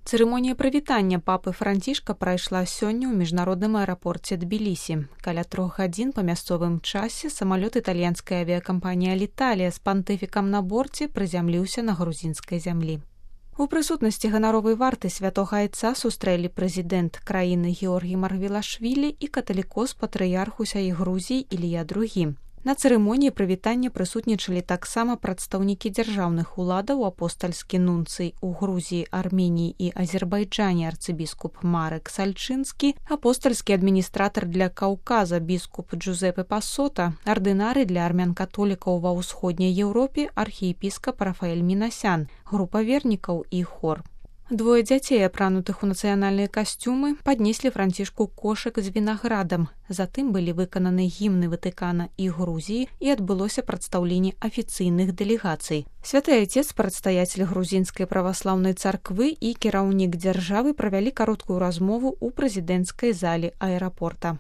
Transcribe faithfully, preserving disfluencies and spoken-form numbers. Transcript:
Цырымонія прывітання папы Францішка прайшла сёння ў міжнародным аэрапорце Тбілісі. Каля трох гадзін па мясцовым часе самалёт італьянскай авіякампаніі «Аліталія» з пантыфікам на борце прызямліўся на грузінскай зямлі. У прысутнасці ганаровай варты святога айца сустрэлі прэзідэнт краіны Георгій Маргвелашвілі і каталікос патрыярх усяй Грузіі Ілія другі. На цырымоніі прывітання прысутнічалі таксама прадстаўнікі дзяржаўных уладаў, апостальскі нунцый у Грузіі, Арменіі і Азербайджане арцыбіскуп Марек Сальчынскі, апостальскі адміністратар для Каўказа біскуп Джузепе Пасота, ардынары для армян-католікаў ва ўсходняй Еўропе архіепіскап Рафаэль Мінасян, група вернікаў і хор. Двое дзяцей, апранутых у нацыянальныя касцюмы, паднеслі Францішку кошык з вінаградам. Затым былі выкананы гімны Ватыкана і Грузіі і адбылося прадстаўленне афіцыйных дэлегацый. Святы айцец, прадстаяцель грузінскай праваслаўнай царквы і кіраўнік дзяржавы правялі кароткую размову ў прэзідэнцкай зале аэрапорта.